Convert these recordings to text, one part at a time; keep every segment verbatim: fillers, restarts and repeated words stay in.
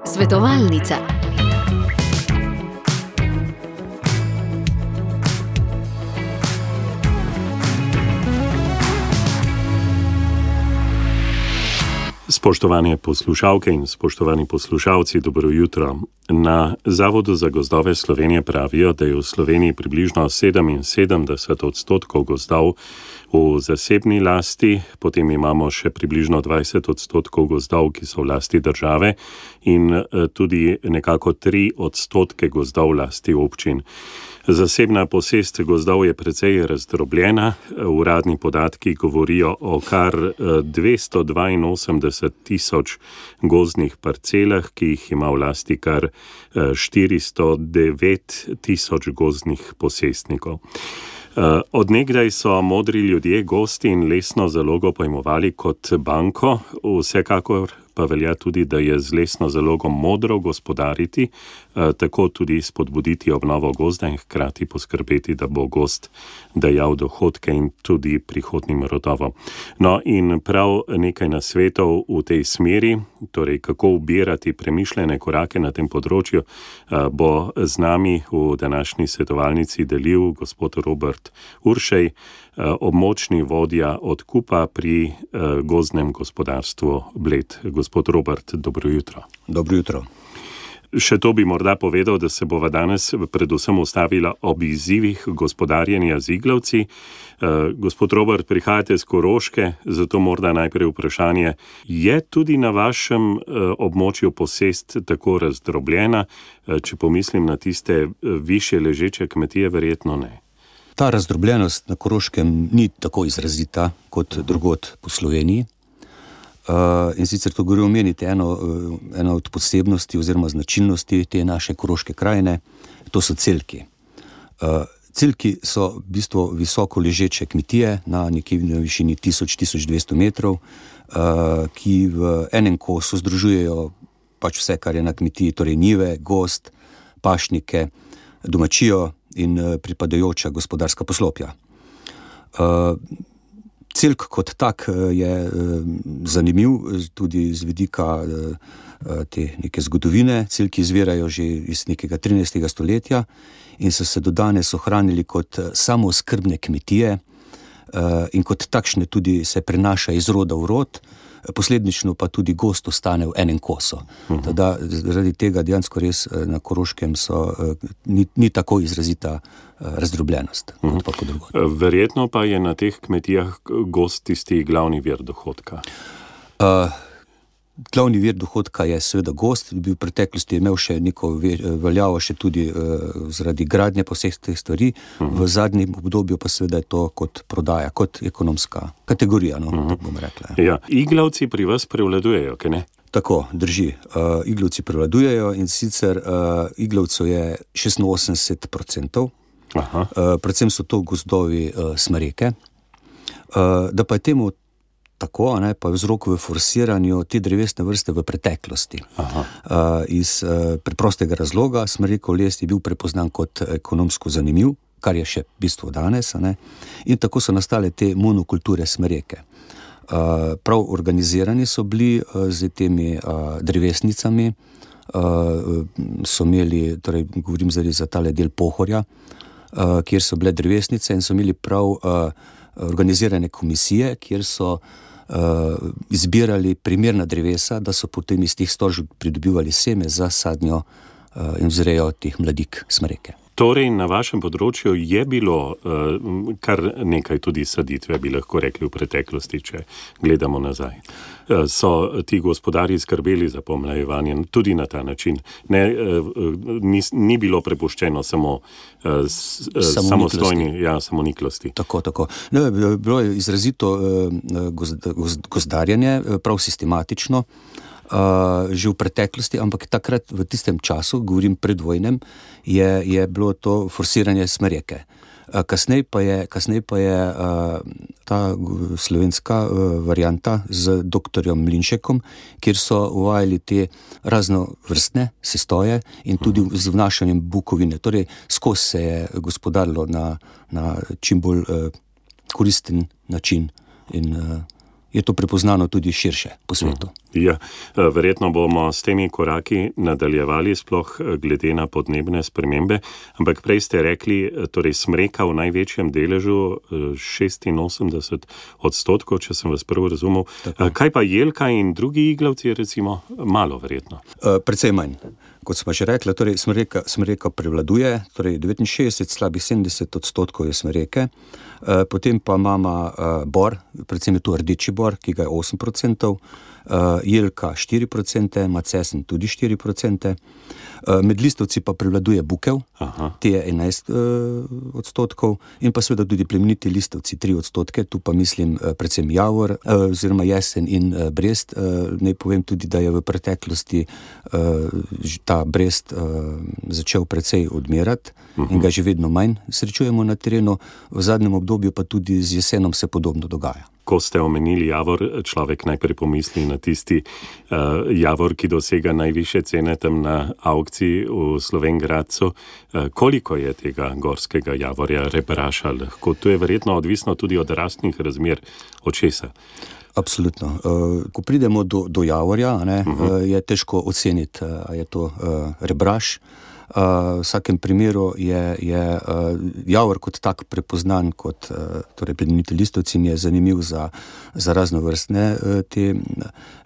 Svetovalnica. Spoštovane poslušalke in spoštovani poslušalci, dobro jutro. Na Zavodu za gozdove Slovenije pravijo, da je v Sloveniji približno sedeminsedemdeset odstotkov gozdov v zasebni lasti, potem imamo še približno dvajset odstotkov gozdov, ki so v lasti države in tudi nekako tri odstotke gozdov v lasti občin. Zasebna posest gozdov je precej razdrobljena, uradni podatki govorijo o kar dvesto dvainosemdeset tisoč gozdnih parcelah, ki jih ima v lasti kar štiristo devet tisoč gozdnih posestnikov. Od nekdaj so modri ljudje gozd in lesno zalogo pojmovali kot banko, vsekakor pa velja tudi, da je z lesno zalogom modro gospodariti, tako tudi spodbuditi obnovo gozda in hkrati poskrbeti, da bo gozd dajal dohodke in tudi prihodnjim rodovom. No in prav nekaj nasvetov v tej smeri, torej kako ubirati premišljene korake na tem področju, bo z nami v današnji svetovalnici delil gospod Robert Uršej, območni vodja odkupa pri gozdnem gospodarstvu Bled. Gospod Robert, dobro jutro. Dobro jutro. Še to bi morda povedal, da se bova danes predvsem ustavila ob izzivih gospodarjenja z iglavci. Gospod Robert, prihajate z Koroške, zato morda najprej vprašanje, je tudi na vašem območju posest tako razdrobljena? Če pomislim na tiste višje ležeče kmetije, verjetno ne. Ta razdrobljenost na Koroškem ni tako izrazita kot drugod po Sloveniji. Uh, in sicer to gre omeniti eno, eno od posebnosti oziroma značilnosti te naše koroške krajine, to so celki. Uh, celki so v bistvu visoko ležeče kmetije na nekje na višini tisoč do tisoč dvesto metrov, uh, ki v enem kosu združujejo pač vse, kar je na kmetiji, torej njive, gozd, pašnike, domačijo in uh, pripadajoča gospodarska poslopja. Uh, Celk kot tak je zanimiv tudi z vidika te neke zgodovine. Celki izvirajo že iz nekega trinajstega stoletja in so se do danes ohranili kot samooskrbne kmetije in kot takšne tudi se prenaša iz roda v rod, posledično pa tudi gozd ostane v enem kosu. Uh-huh. Tada, zaradi tega dejansko res na Koroškem so, ni, ni tako izrazita razdrobljenost. Uh-huh. Kot pa kot drugod. Verjetno pa je na teh kmetijah gozd tisti glavni vir dohodka. Uh, glavni vir dohodka je seveda gozd, bi v preteklosti imel še neko veljavo še tudi uh, zaradi gradnje pa vseh teh stvari, uh-huh. V zadnjem obdobju pa seveda je to kot prodaja, kot ekonomska kategorija, no, uh-huh. tako bomo rekli. Ja, iglavci pri vas prevladujejo, kaj ne? Tako, drži. Uh, iglavci prevladujejo in sicer uh, iglavcev je šestinosemdeset procentov, uh, predvsem so to gozdovi uh, smreke, uh, da pa je temu tako, ne, pa je vzrok v forsiranju te drevesne vrste v preteklosti. Uh, iz uh, preprostega razloga, smrekov les je bil prepoznan kot ekonomsko zanimiv, kar je še bistvo danes, ne, in tako so nastale te monokulture smreke. Uh, prav organizirani so bili uh, z temi uh, drevesnicami, uh, so imeli, torej govorim zdaj za tale del Pohorja, uh, kjer so bile drevesnice in so imeli prav uh, organizirane komisije, kjer so uh, izbirali primerna drevesa, da so potem iz teh stožb pridobivali seme za sadnjo uh, in vzrejo teh mladik smreke. Torej, na vašem področju je bilo uh, kar nekaj tudi saditve, bi lahko rekli v preteklosti, če gledamo nazaj. Uh, so ti gospodarji skrbeli za pomlajevanje tudi na ta način. Ne, uh, ni, ni bilo prepuščeno samo, uh, s, uh, samostojni, ja, samoniklosti. Tako, tako. Ne, bilo je izrazito uh, gozd, gozd, gozdarjenje, prav sistematično, Uh, že v preteklosti, ampak takrat v tistem času, govorim predvojnem, je, je bilo to forsiranje smreke. Uh, kasnej pa je, kasnej pa je uh, ta slovenska uh, varianta z doktorjem Mlinšekom, kjer so uvajali te raznovrstne sestoje in tudi z vnašanjem bukovine. Torej, skozi se je gospodarilo na, na čim bolj uh, koristen način in uh, je to prepoznano tudi širše po svetu. Ja, verjetno bomo s temi koraki nadaljevali, sploh glede na podnebne spremembe, ampak prej ste rekli, torej smreka v največjem deležu šestinosemdeset odstotkov, če sem vas prvo razumel. Tako. Kaj pa jelka in drugi iglavci, recimo, malo verjetno? Precej manj. Kot smo že rekli, torej smreka, smreka prevladuje, torej devetinšestdeset, slabih sedemdeset odstotkov je smreke, potem pa imamo bor, predvsem je tu rdeči bor, ki ga je osem procentov, jelka štiri procente, macesen tudi štiri procente, med listovci pa prevladuje bukev, Aha. te je enajst odstotkov, in pa seveda tudi plemeniti listovci tri odstotke, tu pa mislim predvsem javor, oziroma jesen in brest. Naj povem tudi, da je v preteklosti ta brest začel precej odmirati uh-huh. in ga že vedno manj srečujemo na terenu, v zadnjem obdobju pa tudi z jesenom se podobno dogaja. Ko ste omenili javor, človek najprej pomisli na tisti uh, javor, ki dosega najvišje cene tam na aukciji v Slovenj Gradcu. Uh, koliko je tega gorskega javorja, rebraša lahko? To je verjetno odvisno tudi od rastnih razmer, od česa. Absolutno. Uh, ko pridemo do, do javorja, ne, uh-huh. uh, je težko oceniti, uh, je to uh, rebraš. Uh, v vsakem primeru je, je uh, javor kot tak prepoznan kot uh, torej plemeniti listovci, je zanimiv za, za raznovrstne uh, te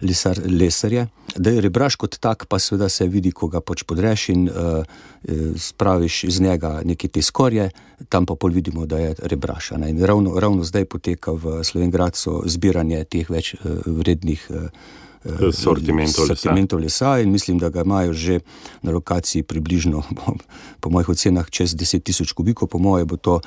lesar, lesarje. Da je rebraš kot tak, pa seveda se vidi, ko ga pač podreš in uh, spraviš iz njega neke te skorje, tam pa pol vidimo, da je rebraš. In ravno, ravno zdaj poteka v Slovenj Gradcu zbiranje teh več uh, vrednih uh, sortimentov lesa. lesa in mislim, da ga imajo že na lokaciji približno, po mojih ocenah, čez deset tisoč kubikov, po moje bo to uh,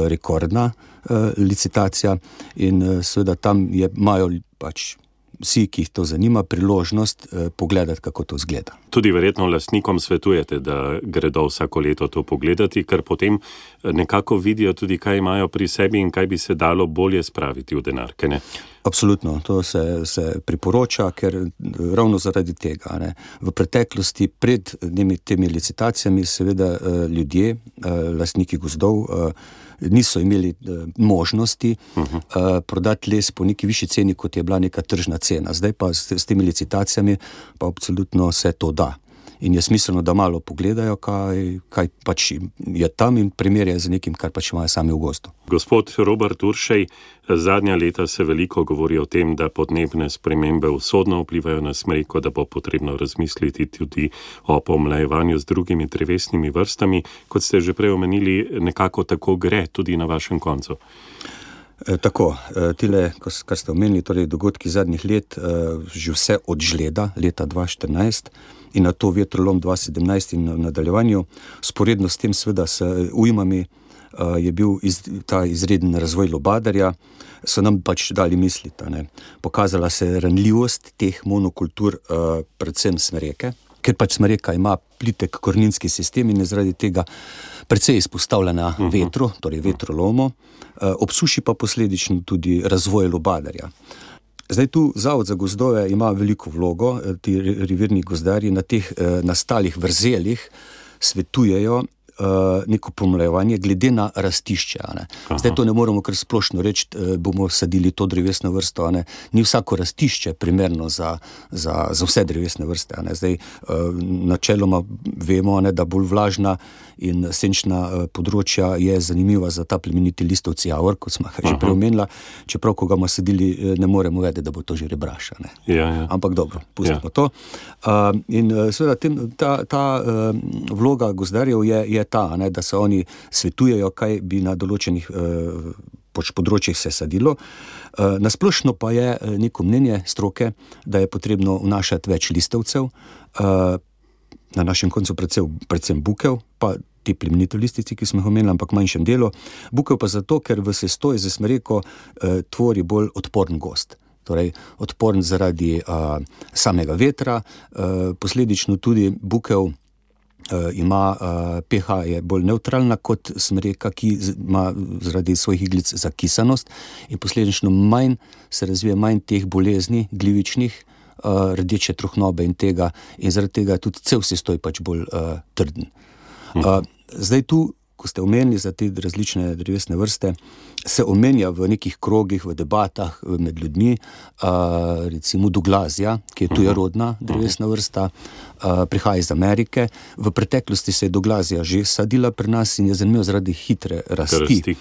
rekordna uh, licitacija in uh, seveda tam je, imajo pač vsi, ki jih to zanima, priložnost eh, pogledati, kako to izgleda. Tudi verjetno lastnikom svetujete, da gredo vsako leto to pogledati, ker potem nekako vidijo tudi, kaj imajo pri sebi in kaj bi se dalo bolje spraviti v denarke, ne? Absolutno, to se, se priporoča, ker ravno zaradi tega, ne, v preteklosti pred temi, temi licitacijami seveda ljudje, lastniki gozdov, niso imeli možnosti uh-huh. prodati les po neki višji ceni, kot je bila neka tržna cena. Zdaj pa s, s temi licitacijami pa absolutno se to da. In je smiselno, da malo pogledajo, kaj, kaj pač je tam in primerjajo z nekim, kar pač imajo sami v gozdu. Gospod Robert Uršej, zadnja leta se veliko govori o tem, da podnebne spremembe usodno vplivajo na smreko, da bo potrebno razmisliti tudi o pomlajevanju z drugimi drevesnimi vrstami. Kot ste že prej omenili, nekako tako gre tudi na vašem koncu. E, tako, e, tile, kar ste omenili, torej dogodki zadnjih let, e, že vse od žleda leta dva tisoč štirinajst in na to vetrolom dva tisoč sedemnajst in v nadaljevanju, sporedno s tem seveda s ujmami uh, je bil iz, ta izreden razvoj lubadarja, so nam pač dali misliti, ne. Pokazala se ranljivost teh monokultur, uh, predvsem smreke, ker pač smreka ima plitek koreninski sistem in je zaradi tega precej izpostavljena uh-huh. vetru, torej vetrolomu, uh, ob suši pa posledično tudi razvoj lubadarja. Zdaj tu Zavod za gozdove ima veliko vlogo, ti revirni gozdarji na teh eh, nastalih vrzelih svetujejo uh, neko pomlajevanje glede na rastišče. Ne. Zdaj to ne moramo kar splošno reči, uh, bomo sadili to drevesno vrsto. Ne. Ni vsako rastišče primerno za, za, za vse drevesne vrste. Ne. Zdaj uh, načeloma vemo, ne, da bolj vlažna in senčna uh, področja je zanimiva za ta plemeniti listovci javor, kot smo že prej omenila, čeprav ko ga bomo sadili, ne moremo vedeti, da bo to že rebraša. Ne. Ja, ja. Ampak dobro, pustimo ja. to. Uh, in uh, seveda tem, ta, ta uh, vloga gozdarjev je, je ta, ne, da se oni svetujejo, kaj bi na določenih uh, področjih se sadilo. Uh, nasplošno pa je neko mnenje stroke, da je potrebno vnašati več listovcev, uh, na našem koncu predvsem, predvsem bukev, pa ti plemeniti listici, ki smo jih omenili, ampak manjšem delu. Bukev pa zato, ker v sestoji z smreko uh, tvori bolj odporen gozd. Torej odporen zaradi uh, samega vetra, uh, posledično tudi bukev uh, ima uh, pH je bolj nevtralna kot smreka, ki ima zaradi svojih iglic zakisanost in posledično manj se razvije manj teh bolezni glivičnih, uh, rdeče trohnobe in tega in zaradi tega je tudi cel sestoj pač bolj uh, trden. Uh, zdaj tu, ko ko ste omenili za te različne drevesne vrste, se omenja v nekih krogih, v debatah med ljudmi, uh, recimo Douglazia, ki je tujerodna drevesna vrsta, uh, prihaja iz Amerike. V preteklosti se je Douglazia že sadila pri nas in je zanimivo zaradi hitre rasti. rasti.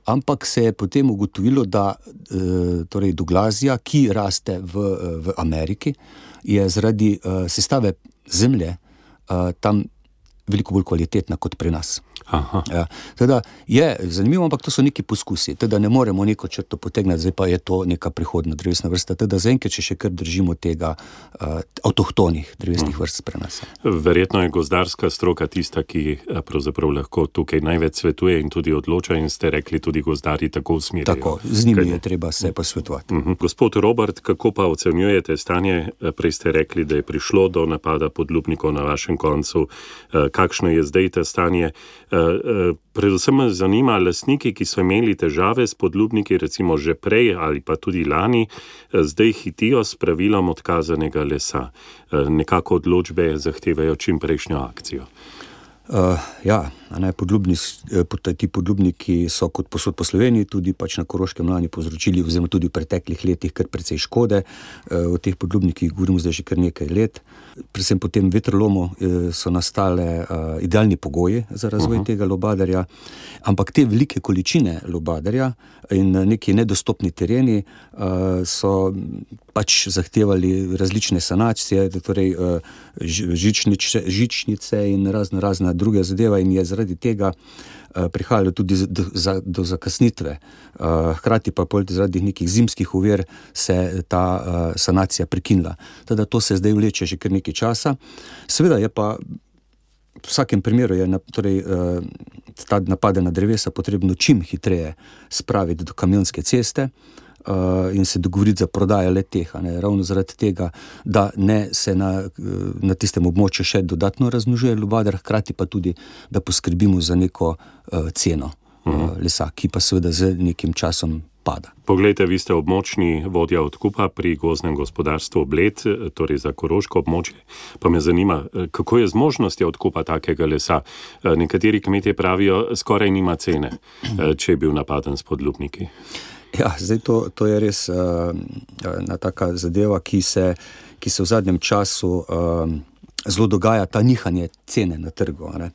Ampak se je potem ugotovilo, da uh, torej Douglazia, ki raste v, v Ameriki, je zaradi uh, sestave zemlje uh, tam veliko bolj kvalitetna kot pri nas. Aha. Ja, teda je zanimivo, ampak to so neki poskusi, teda ne moremo neko črto potegnati, zdaj pa je to neka prihodna drevesna vrsta, teda zaenkrat, če še kar držimo tega uh, avtohtonih drevesnih vrst pri nas. Verjetno je gozdarska stroka tista, ki pravzaprav lahko tukaj največ svetuje in tudi odloča, in ste rekli, tudi gozdarji tako usmerjajo. Tako, z njimi je treba se posvetovati. Uh-huh. Gospod Robert, kako pa ocenjujete stanje? Prej ste rekli, da je prišlo do napada podlubnikov na vašem koncu. Kakšno je zdaj to stanje? Predvsem me zanima, lastniki, ki so imeli težave s podlubniki, recimo že prej ali pa tudi lani, zdaj hitijo s pravilom odkazanega lesa. Nekako odločbe zahtevajo čim prejšnjo akcijo. Uh, ja, ne, podlubni, ti podlubniki so kot posod po Sloveniji tudi pač na Koroškem lani povzročili, oziroma tudi v preteklih letih, kar precej škode. Uh, o teh podlubnikih govorimo zdaj že kar nekaj let. Predvsem po tem vetrolomu uh, so nastale uh, idealni pogoji za razvoj uh-huh. tega lubadarja, ampak te velike količine lubadarja in neki nedostopni tereni uh, so pač zahtevali različne sanacije, torej uh, žičnice, žičnice in razne razne druge zadeva, in je zaradi tega uh, prihajalo tudi do, za, do zakasnitve. Uh, hkrati pa zaradi nekih zimskih ovir se ta uh, sanacija prekinila. Teda to se zdaj vleče že kar nekaj časa. Seveda je pa v vsakem primeru je torej, uh, ta napade na drevesa potrebno čim hitreje spraviti do kamionske ceste Uh, in se dogovoriti za prodajo le-teh, ravno zaradi tega, da ne se na, na tistem območju še dodatno razmnožuje lubadar, hkrati pa tudi, da poskrbimo za neko uh, ceno uh, lesa, ki pa seveda z nekim časom pada. Poglejte, vi ste območni vodja odkupa pri gozdnem gospodarstvu Bled, torej za koroško območje. Pa me zanima, kako je z možnostjo odkupa takega lesa? Nekateri kmetje pravijo, skoraj nima cene, če je bil napaden s podlubniki. Ja, zdaj to, to je res uh, ena taka zadeva, ki se, ki se v zadnjem času uh, zelo dogaja, ta nihanje cene na trgu. Ne?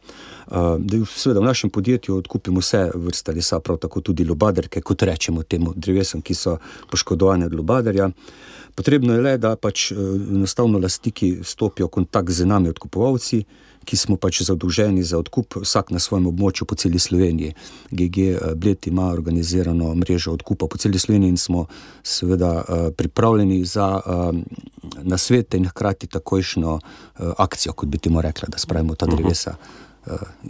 Uh, seveda v našem podjetju odkupimo vse vrste lesa, prav tako tudi lubadarke, kot rečemo temu drevesom, ki so poškodovane od lubadarja. Potrebno je le, da pač enostavno lastniki stopijo v kontakt z nami odkupovalci, ki smo pač zadolženi za odkup vsak na svojem območju po celi Sloveniji. G G Bled ima organizirano mrežo odkupa po celi Sloveniji in smo seveda pripravljeni za nasvete in hkrati takojšnjo akcijo, kot bi temu rekla, da spravimo ta drevesa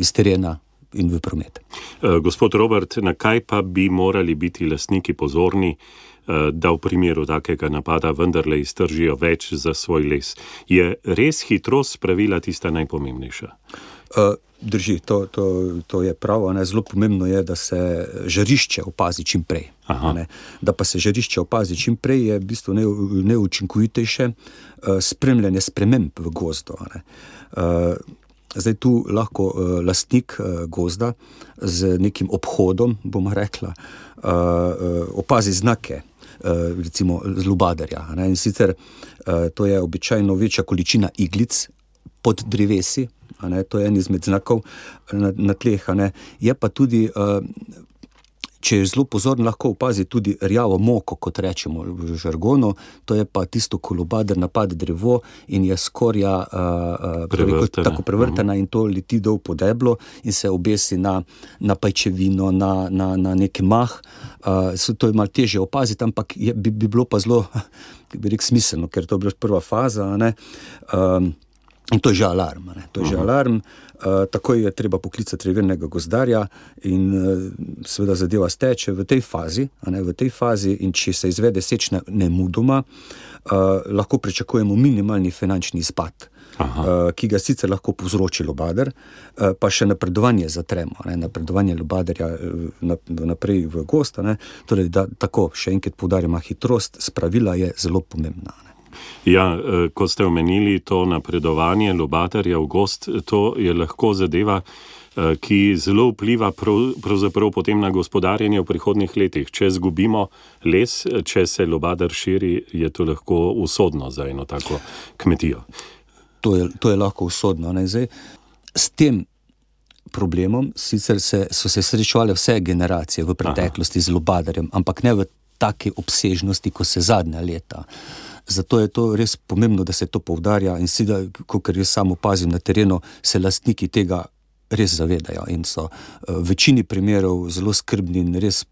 iz terena in v promet. Gospod Robert, na kaj pa bi morali biti lastniki pozorni, da v primeru takega napada vendarle iztržijo več za svoj les? Je res hitrost pravila tista najpomembnejša? Uh, drži, to, to, to je pravo. Ne? Zelo pomembno je, da se žarišče opazi čim prej. Da pa se žarišče opazi čim prej, je v bistvu neučinkovitejše uh, spremljanje sprememb v gozdu. Uh, zdaj tu lahko uh, lastnik uh, gozda z nekim obhodom, bomo rekla, uh, uh, opazi znake, recimo z lubadarja. Ne? In sicer uh, to je običajno večja količina iglic pod drevesi, a ne? To je en izmed znakov na, na tleh. A ne? Je pa tudi, uh, če je zelo pozorn, lahko opazi tudi rjavo moko, kot rečemo v žargonu, to je pa tisto, ko lubadar napade drevo in je skorja uh, prevrtena. tako prevrtena uh-huh. in to leti dol po deblo in se obesi na, na pajčevino, na, na, na neki mah. Uh, to je malo težje opaziti, ampak je, bi, bi bilo pa zelo, bi rekel, smiselno, ker to je bila prva faza, ne? Um, in to je že alarm. Ne? To je že alarm. Uh, takoj je treba poklicati revirnega gozdarja in uh, seveda zadeva steče v tej fazi, a ne, v tej fazi, in če se izvede sečnja nemudoma, uh, lahko pričakujemo minimalni finančni izpad, uh, ki ga sicer lahko povzroči lubadar, uh, pa še napredovanje za tremo, ne, napredovanje lubadarja uh, naprej v gost, ne, torej da tako, še enkrat poudarjamo, hitrost spravila je zelo pomembna. Ne. Ja, ko ste omenili to napredovanje lubadarja v gozd, to je lahko zadeva, ki zelo vpliva prav, pravzaprav potem na gospodarjenje v prihodnjih letih. Če zgubimo les, če se lubadar širi, je to lahko usodno za eno tako kmetijo. To je, to je lahko usodno. Ne? Zdaj, s tem problemom sicer se, so se srečevale vse generacije v preteklosti Aha. z lubadarjem, ampak ne v taki obsežnosti, ko se zadnja leta. Zato je to res pomembno, da se to poudarja in si da, kakor jaz sam opazim na terenu, se lastniki tega res zavedajo in so v večini primerov zelo skrbni in res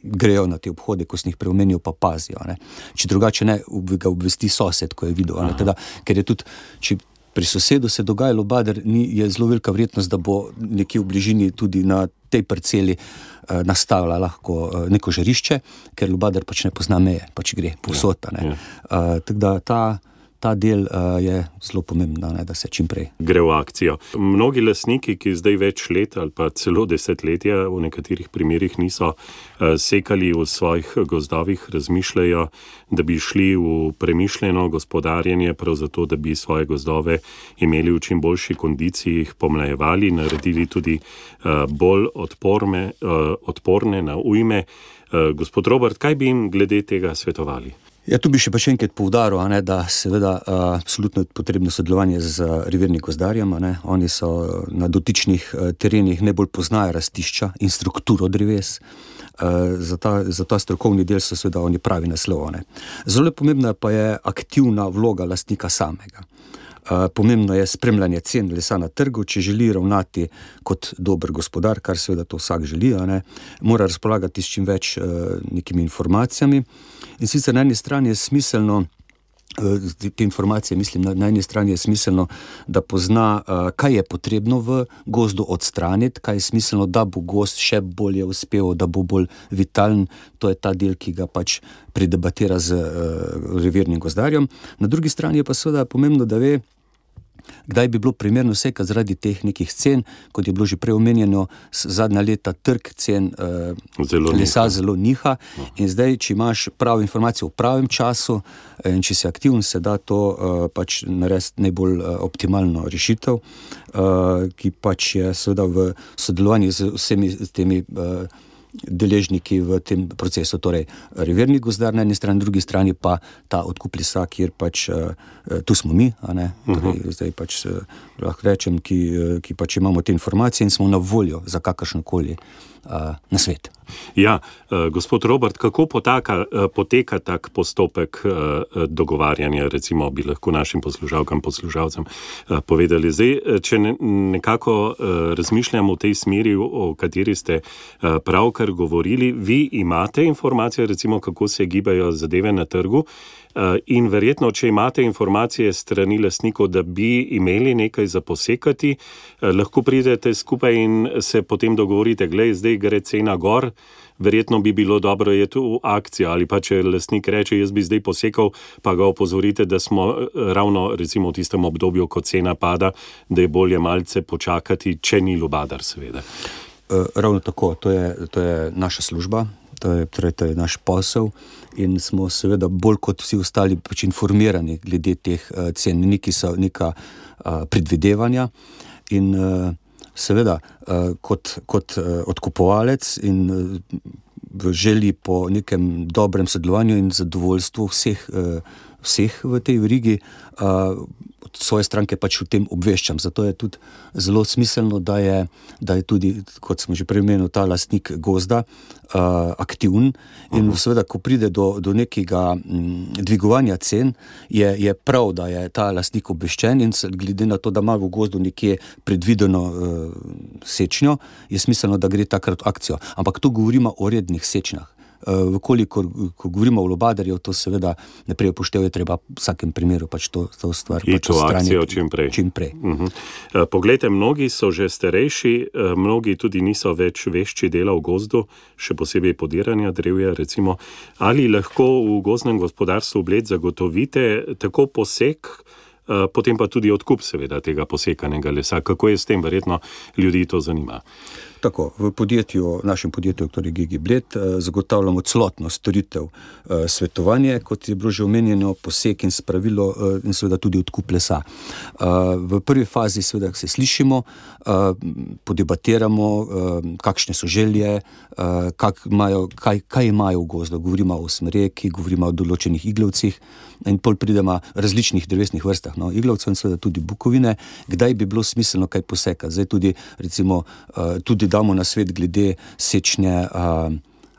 grejo na te obhode, ko sem jih preomenil, pa pazijo. Ne. Če drugače ne, ga obvesti sosed, ko je videl. Ne, teda, ker je tudi, če pri sosedu se dogaja lubadar, ni, je zelo velika verjetnost, da bo nekje v bližini tudi na tej parceli eh, nastavila lahko eh, neko žarišče, ker lubadar pač ne pozna meje, pač gre povsod. Ja, ja. uh, tako da ta Ta del uh, je zelo pomembno, ne, da se čim prej gre v akcijo. Mnogi lastniki, ki zdaj več let ali pa celo desetletja v nekaterih primerih niso uh, sekali v svojih gozdovih, razmišljajo, da bi šli v premišljeno gospodarjenje, prav zato, da bi svoje gozdove imeli v čim boljši kondiciji, jih pomlajevali, naredili tudi uh, bolj odporne, uh, odporne na ujme. Uh, gospod Robert, kaj bi jim glede tega svetovali? Ja, tu bi še pa še enkrat poudaril, ne, da seveda uh, absolutno je potrebno sodelovanje z uh, revirnim gozdarjem. Ne. Oni so na dotičnih uh, terenih najbolj poznajo rastišča in strukturo dreves. Uh, za, ta, za ta strokovni del so seveda oni pravi naslov. Ne. Zelo pomembna pa je aktivna vloga lastnika samega. Uh, pomembno je spremljanje cen lesa na trgu, če želi ravnati kot dober gospodar, kar seveda to vsak želi, ne, mora razpolagati s čim več uh, nekimi informacijami. In sicer na eni strani je smiselno, uh, te informacije mislim, na, na eni strani je smiselno, da pozna, uh, kaj je potrebno v gozdu odstraniti, kaj je smiselno, da bo gozd še bolje uspel, da bo bolj vitalen. To je ta del, ki ga pač predebatira z uh, revirnim gozdarjem. Na drugi strani je pa seveda pomembno, da ve, kdaj bi bilo primerno sekati zaradi teh nekih cen, kot je bilo že prej omenjeno, zadnja leta trg cen uh, zelo lesa niha. zelo niha. No. In zdaj, če imaš pravo informacijo v pravem času in če si aktiven, se da to uh, pač narediti najbolj uh, optimalno rešitev, uh, ki pač je seveda v sodelovanju z vsemi temi uh, deležniki v tem procesu, torej revirni gozdar na eni strani, drugi strani pa ta odkup lesa, kjer pač uh, tu smo mi, a ne, torej, uh-huh. zdaj pač uh, lahko rečem, ki, uh, ki pač imamo te informacije in smo na voljo za kakršnokoli uh, na svet. Ja, uh, gospod Robert, kako potaka, uh, poteka tak postopek uh, dogovarjanja, recimo bi lahko našim poslušalkam, poslušalcem uh, povedali. Zdaj, če ne, nekako uh, razmišljamo v tej smeri, o kateri ste uh, pravkar govorili, vi imate informacije, recimo, kako se gibajo zadeve na trgu, uh, in verjetno, če imate informacije strani lastnikov, da bi imeli nekaj za posekati, uh, lahko pridete skupaj in se potem dogovorite, glej, zdaj gre cena gor, verjetno bi bilo dobro je tu akcija, ali pa če lastnik reče, jaz bi zdaj posekal, pa ga opozorite, da smo ravno recimo v tistem obdobju, ko cena pada, da je bolje malce počakati, če ni lubadar seveda. Uh, ravno tako, to je, to je naša služba, to je, torej, to je naš posel in smo seveda bolj kot vsi ostali pač informirani glede teh uh, cen, neki so neka uh, predvidevanja in uh, seveda, uh, kot, kot uh, odkupovalec in uh, v želji po nekem dobrem sodelovanju in zadovoljstvu vseh, uh, vseh v tej verigi, uh, svoje stranke pač v tem obveščam. Zato je tudi zelo smiselno, da je, da je tudi, kot smo že prej omenili, ta lastnik gozda uh, aktiven in uh-huh. seveda, ko pride do, do nekega m, dvigovanja cen, je, je prav, da je ta lastnik obveščen in glede na to, da ima v gozdu nekje predvideno uh, sečnjo, je smiselno, da gre takrat v akcijo. Ampak tu govorimo o rednih sečnjah. Uh, Vkolikor, ko govorimo o lubadarju, to seveda naprej upoštev je treba v vsakem primeru pač to, to stvar pač odstraniti čim prej. Čim prej. Uh-huh. Uh, poglejte, mnogi so že starejši, uh, mnogi tudi niso več vešči dela v gozdu, še posebej podiranja drevja, recimo. Ali lahko v gozdnem gospodarstvu Bled zagotovite tako posek, uh, potem pa tudi odkup seveda tega posekanega lesa? Kako je s tem? Verjetno ljudi to zanima. Tako, v podjetju, našem podjetju, torej GigiBled, zagotavljamo celotno storitev svetovanje, kot je bilo že omenjeno, posek in spravilo in seveda tudi odkup lesa. V prvi fazi seveda se slišimo, podebatiramo, kakšne so želje, kak imajo, kaj, kaj imajo v gozdu. Govorimo o smreki, govorimo o določenih iglavcih in pol pridemo različnih drevesnih vrstah, no, iglavcev in seveda tudi bukovine, kdaj bi bilo smiselno kaj posekati. Zdaj tudi, recimo, tudi damo na svet glede sečnje uh,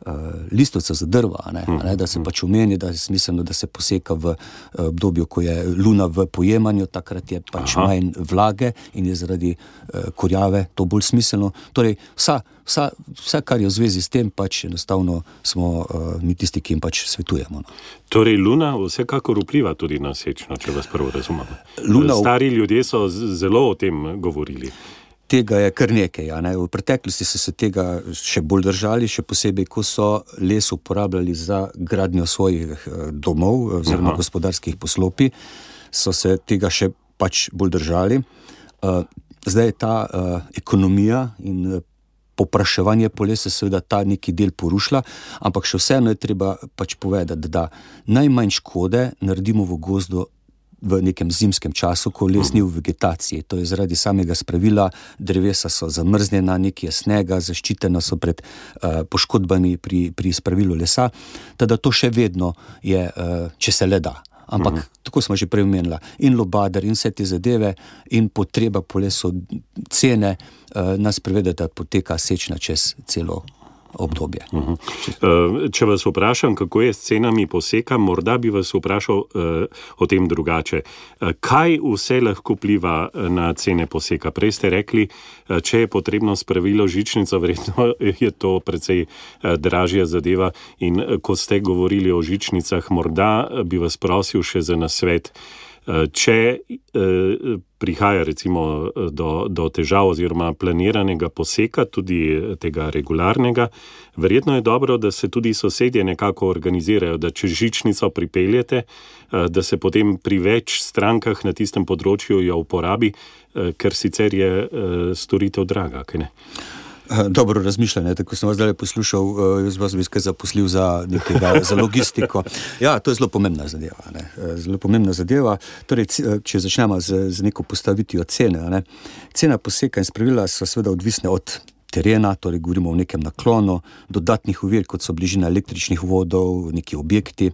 uh, listovca za drva, ne, ne, da se pač omeni, da je smiselno, da se poseka v obdobju, ko je luna v pojemanju, takrat je pač Aha. manj vlage in je zaradi uh, korjave to bolj smiselno. Torej, vsa, vsa, vse, kar je v zvezi s tem, pač enostavno smo uh, mi tisti, ki jim pač svetujemo. No. Torej, luna vsekakor vpliva tudi na sečno, če vas prvo razumemo. Luna... Stari ljudje so zelo o tem govorili. Tega je kar nekaj, ja, ne. V preteklosti so se tega še bolj držali, še posebej, ko so les uporabljali za gradnjo svojih domov oziroma Aha. gospodarskih poslopij, so se tega še pač bolj držali. Zdaj je ta ekonomija in popraševanje po lesu seveda ta neki del porušila, ampak še vseeno je treba pač povedati, da najmanj škode naredimo v gozdu v nekem zimskem času, ko les ni v vegetaciji. To je zaradi samega spravila, drevesa so zamrznjena, nekaj je snega, zaščitena so pred uh, poškodbami pri, pri spravilu lesa, teda to še vedno je, uh, če se le da. Ampak, uh-huh. tako smo že prej omenila, in lobader, in vse te zadeve, in potreba po lesu, cene, uh, nas privede, da poteka sečna čez celo obdobje. Uh-huh. Če vas vprašam, kako je s cenami poseka, morda bi vas vprašal uh, o tem drugače. Uh, kaj vse lahko pliva na cene poseka? Prej ste rekli, uh, če je potrebno spravilo žičnico, verjetno je to precej uh, dražja zadeva in uh, ko ste govorili o žičnicah, morda bi vas prosil še za nasvet. Če eh, prihaja recimo do, do težav oziroma planiranega poseka, tudi tega regularnega, verjetno je dobro, da se tudi sosedje nekako organizirajo, da če žičnico pripeljete, eh, da se potem pri več strankah na tistem področju jo uporabi, eh, ker sicer je eh, storitev draga, kaj ne? Dobro razmišljanje, tako sem vas zdaj poslušal, jaz vas bi skaj zaposlil za nekega, za logistiko. Ja, to je zelo pomembna zadeva, ne. Zelo pomembna zadeva. Torej, če začnemo z, z neko postavitvijo cene, ne. Cena poseka in spravila so seveda odvisne od terena, torej govorimo o nekem naklonu, dodatnih ovir, kot so bližina električnih vodov, neki objekti.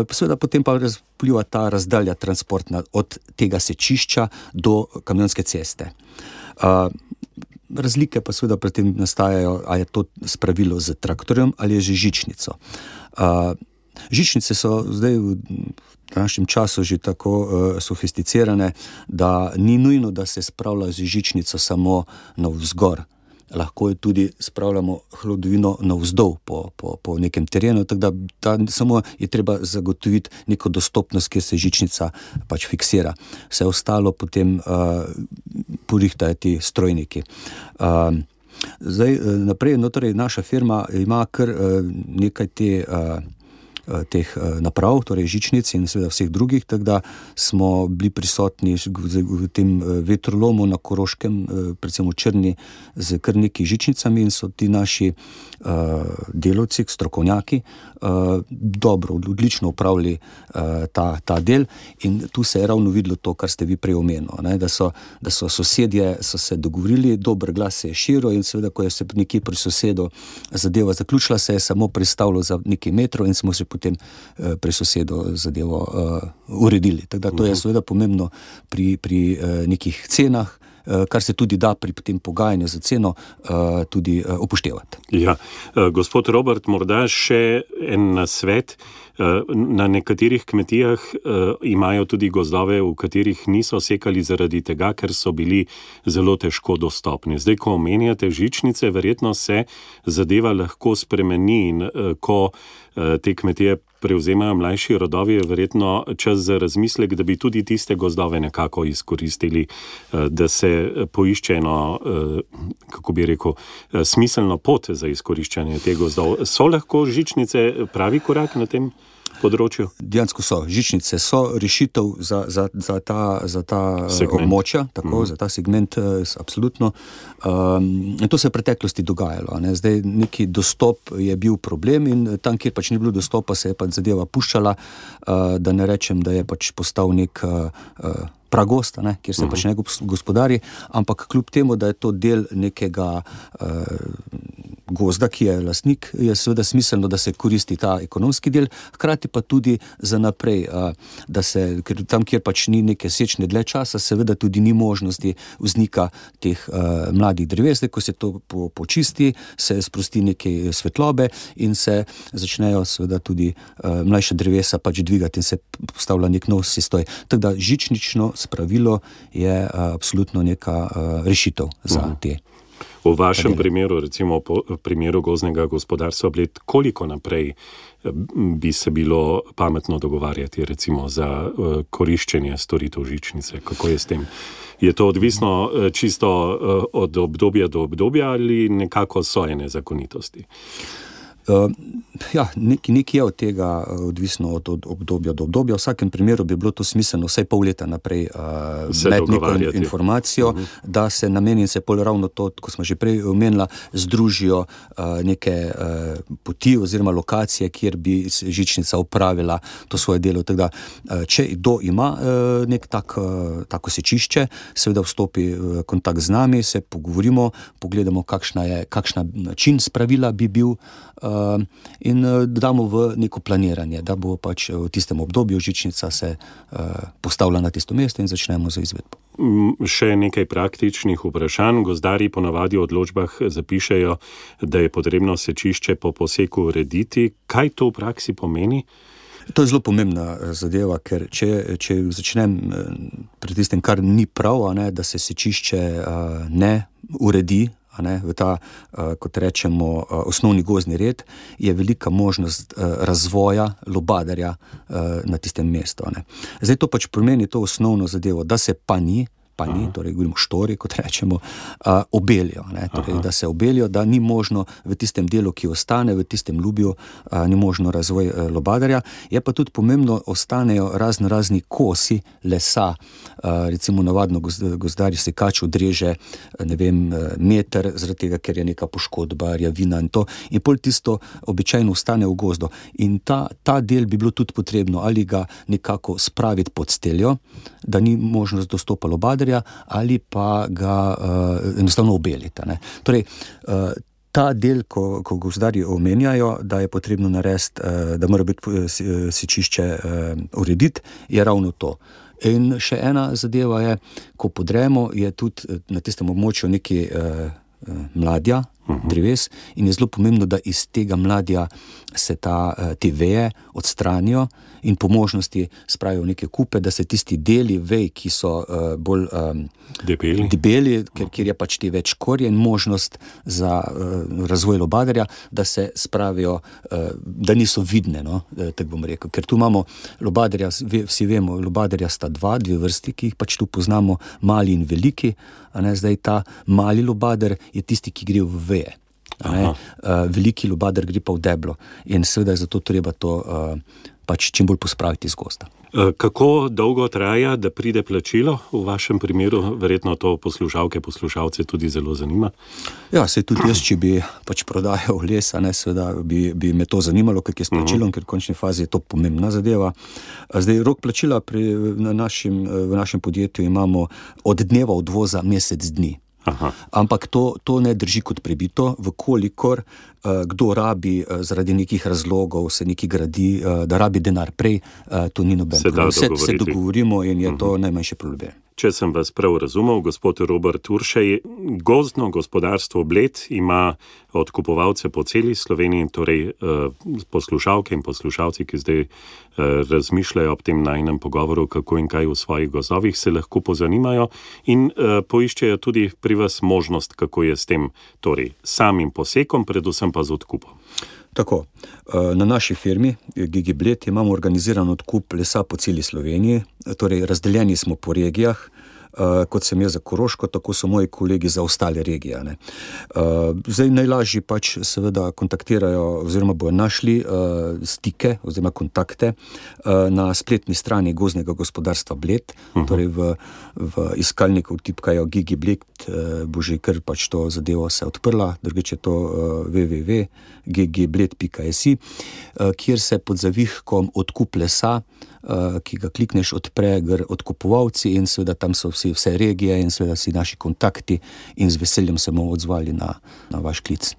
Seveda potem pa razpliva ta razdalja transportna od tega sečišča do kamionske ceste. Razlike pa seveda pri tem nastajajo, a je to spravilo z traktorjem ali je že žičnico. Uh, žičnice so zdaj v današnjem času že tako uh, sofisticirane, da ni nujno, da se spravlja z žičnico samo navzgor. Lahko je tudi spravljamo hlodovino navzdol po, po, po nekem terenu, tako da ta, samo je treba zagotoviti neko dostopnost, kjer se žičnica pač fiksira. Vse ostalo potem uh, porihtajo ti strojniki. Uh, zdaj naprej, no torej naša firma ima kar uh, nekaj te uh, teh naprav, torej žičnic in seveda vseh drugih, tako da smo bili prisotni v tem vetrolomu na Koroškem, predvsem v Črni, z kar nekaj žičnicami in so ti naši uh, delavci, strokovnjaki, uh, dobro, odlično upravili uh, ta, ta del in tu se je ravno videlo to, kar ste vi prej omenili, ne, da so, da so sosedje so se dogovorili, dober glas se je širil in seveda, ko je se nekje pri sosedu zadeva zaključila, se je samo pristavilo za nekaj metrov in smo se potem uh, pri sosedu zadevo uh, uredili. Tako da to je seveda pomembno pri, pri uh, nekih cenah, kar se tudi da pri tem pogajanju za ceno uh, tudi uh, upoštevati. Ja, uh, gospod Robert, morda še en nasvet. Uh, na nekaterih kmetijah uh, imajo tudi gozdove, v katerih niso sekali zaradi tega, ker so bili zelo težko dostopni. Zdaj, ko omenjate žičnice, verjetno se zadeva lahko spremeni in uh, ko uh, te kmetije prevzemajo mlajši rodovi, je verjetno čas za razmislek, da bi tudi tiste gozdove nekako izkoristili, da se poišče eno, kako bi rekel, smiselno pot za izkoriščanje teh gozdov. So lahko žičnice pravi korak na tem področju? Dejansko so. Žičnice so rešitev za, za, za ta, za ta območja, tako, mm. za ta segment, absolutno. Um, in to se je v preteklosti dogajalo. Ne. Zdaj neki dostop je bil problem in tam, kjer pač ni bilo dostopa, se je pač zadeva puščala, uh, da ne rečem, da je pač postal nek uh, uh, pragost, ne, kjer se uh-huh. pač ne gospodari, ampak kljub temu, da je to del nekega uh, gozda, ki je lastnik, je seveda smiselno, da se koristi ta ekonomski del, hkrati pa tudi za naprej, uh, da se, ker tam, kjer pač ni neke sečne dlje časa, seveda tudi ni možnosti vznika teh uh, mladih dreves, ko se to po, počisti, se sprosti neke svetlobe in se začnejo seveda tudi uh, mlajša drevesa pač dvigati in se postavlja nek nov sistoj. Tako da žičnično spravilo je uh, absolutno neka uh, rešitev za uh-huh. te. V vašem primeru, recimo po primeru gozdnega gospodarstva Bled, koliko naprej bi se bilo pametno dogovarjati recimo za uh, koriščenje storitev žičnice? Kako je s tem? Je to odvisno uh, čisto uh, od obdobja do obdobja ali nekako so ene zakonitosti? Uh, ja, nekaj nek je od tega uh, odvisno od, od obdobja do obdobja. V vsakem primeru bi bilo to smiselno vsaj pol leta naprej uh, med neko informacijo, uh-huh. da se nameni in se pol ravno to, ko smo že prej omenila, združijo uh, neke uh, poti oziroma lokacije, kjer bi žičnica upravila to svoje delo. Tako da, uh, če kdo ima uh, nek tak, uh, tako sečišče, seveda vstopi uh, kontakt z nami, se pogovorimo, pogledamo, kakšna je, kakšna način spravila bi bil Uh, in uh, damo v neko planiranje, da bo pač v tistem obdobju žičnica se uh, postavila na tisto mesto in začnemo z izvedbo. Še nekaj praktičnih vprašanj. Gozdarji ponavadi v odločbah zapišejo, da je potrebno sečišče po poseku urediti. Kaj to v praksi pomeni? To je zelo pomembna zadeva, ker če, če začnem pri tistem, kar ni prav, a ne, da se sečišče uh, ne uredi, a ne, v ta, uh, kot rečemo, uh, osnovni gozdni red, je velika možnost uh, razvoja lubadarja uh, na tistem mestu. A ne. Zdaj to pač pomeni to osnovno zadevo, da se pa ni, pa ni, torej govorimo štori, kot rečemo, uh, obelijo, ne, torej, da se obelijo, da ni možno v tistem delu, ki ostane, v tistem ljubju, uh, ni možno razvoj uh, lubadarja. Je pa tudi pomembno, ostanejo razno razni kosi lesa, uh, recimo navadno gozdarji sekač odreže, ne vem, meter, zaradi tega, ker je neka poškodba, rjavina in to, in pol tisto običajno ostane v gozdu. In ta, ta del bi bilo tudi potrebno, ali ga nekako spraviti pod steljo, da ni možnost dostopa lubadarja, ali pa ga uh, enostavno obelita. Ne. Torej, uh, ta del, ko, ko gozdarji omenjajo, da je potrebno narediti, uh, da mora biti uh, sečišče uh, urediti, je ravno to. In še ena zadeva je, ko podremo, je tudi na tistem območju neki uh, mladja, uh-huh. dreves, in je zelo pomembno, da iz tega mladja se ta, te veje odstranijo in po možnosti spravijo neke kupe, da se tisti deli vej, ki so uh, bolj um, debeli, debeli ker, ker je pač ti več korje in možnost za uh, razvoj lubadarja, da se spravijo, uh, da niso vidne, no, tako bom rekel. Ker tu imamo lubadarja, vsi vemo, lubadarja sta dva, dve vrsti, ki jih pač tu poznamo, mali in veliki, a ne, zdaj ta mali lubadar je tisti, ki gre v veje. Uh, veliki lubader gre pa v deblo in seveda je zato treba to uh, pač čim bolj pospraviti iz gozda. Kako dolgo traja, da pride plačilo v vašem primeru? Verjetno to poslušalke, poslušalce tudi zelo zanima. Ja, sej tudi jaz, če bi pač prodajal les, a ne, seveda bi, bi me to zanimalo, kako je s plačilom, uh-huh. ker v končni fazi je to pomembna zadeva. Zdaj, rok plačila pri, na našim, v našem podjetju imamo od dneva odvoza mesec dni. Aha. Ampak to, to ne drži kot prebito, vkolikor uh, kdo rabi uh, zaradi nekih razlogov, se neki gradi, uh, da rabi denar prej, uh, to ni noben problem. Se, se dogovorimo in je uh-huh. to najmanjši problem. Če sem vas prav razumel, gospod Robert Uršej, gozdno gospodarstvo Bled ima odkupovalce po celi Sloveniji, torej eh, poslušalke in poslušalci, ki zdaj eh, razmišljajo ob tem najnem pogovoru, kako in kaj v svojih gozdovih, se lahko pozanimajo in eh, poiščejo tudi pri vas možnost, kako je s tem, torej samim posekom, predvsem pa z odkupom. Tako, na naši firmi Gigi Bled imamo organiziran odkup lesa po celi Sloveniji, torej razdeljeni smo po regijah, uh, kot sem jaz za Koroško, tako so moji kolegi za ostale regije. Ne. Uh, zdaj najlažji pač seveda kontaktirajo oziroma bojo našli uh, stike oziroma kontakte uh, na spletni strani Gozdnega gospodarstva Bled, uh-huh. torej v, v iskalniku tipkajo Gigi Bled, uh, bo že kar pač to zadevo se odprla, drugič je to uh, w w w pika g g bled pika s i, uh, kjer se pod zavihkom odkup lesa, uh, ki ga klikneš, odpre gr odkupovalci in seveda tam so vsi, vse regije in seveda vsi naši kontakti in z veseljem se bomo odzvali na, na vaš klic.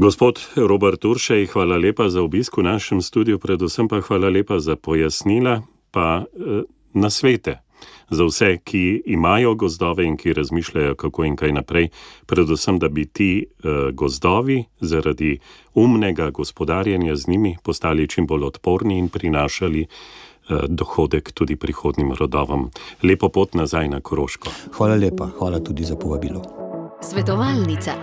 Gospod Robert Uršej, hvala lepa za obisk v našem studiu, predvsem pa hvala lepa za pojasnila pa eh, nasvete za vse, ki imajo gozdove in ki razmišljajo, kako in kaj naprej, predvsem, da bi ti eh, gozdovi zaradi umnega gospodarjenja z njimi postali čim bolj odporni in prinašali eh, dohodek tudi prihodnim rodovom. Lepo pot nazaj na Koroško. Hvala lepa, hvala tudi za povabilo. Svetovalnica.